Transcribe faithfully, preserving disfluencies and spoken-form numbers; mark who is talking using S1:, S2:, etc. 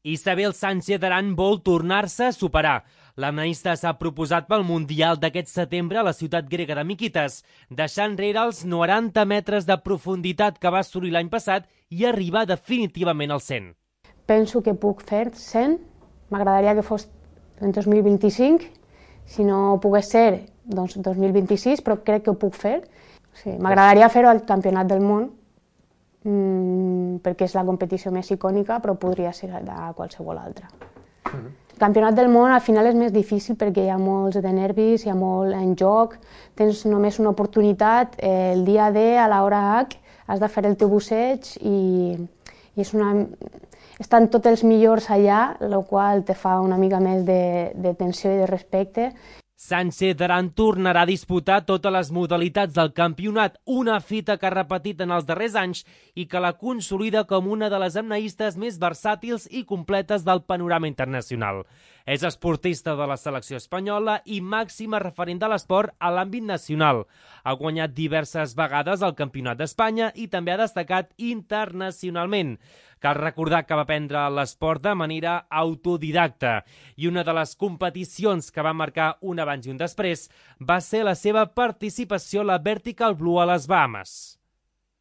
S1: Isabel Sánchez Aran vol tornar-se a superar. L'anaïsta s'ha proposat pel Mundial d'aquest setembre a la ciutat grega de Mikitas, deixant enrere els noranta metres de profunditat que va assolir l'any passat i arribar definitivament als cent.
S2: Penso que puc fer cent, m'agradaria que fos en dos mil vint-i-cinc, si no pogués ser, doncs dos mil vint-i-sis, però crec que ho puc fer. Sí, m'agradaria fer-ho al Campionat del Món, mmm, perquè és la competició més icònica, però podria ser a qualsevol altra. Uh-huh. El Campionat del Món al final és més difícil perquè hi ha molts de nervis, hi ha molt en joc, tens només una oportunitat, eh, el dia D, a l'hora H, has de fer el teu busseig i, i és una... estan tots els millors allà, el qual te fa una mica més de, de tensió i de respecte.
S1: Sánchez Aran tornarà a disputar totes les modalitats del campionat, una fita que ha repetit en els darrers anys i que la consolida com una de les apneistes més versàtils i completes del panorama internacional. És esportista de la selecció espanyola i màxima referent de l'esport a l'àmbit nacional. Ha guanyat diverses vegades el Campionat d'Espanya i també ha destacat internacionalment. Cal recordar que va aprendre l'esport de manera autodidacta i una de les competicions que va marcar un abans i un després va ser la seva participació a la Vertical Blue a les Bahames.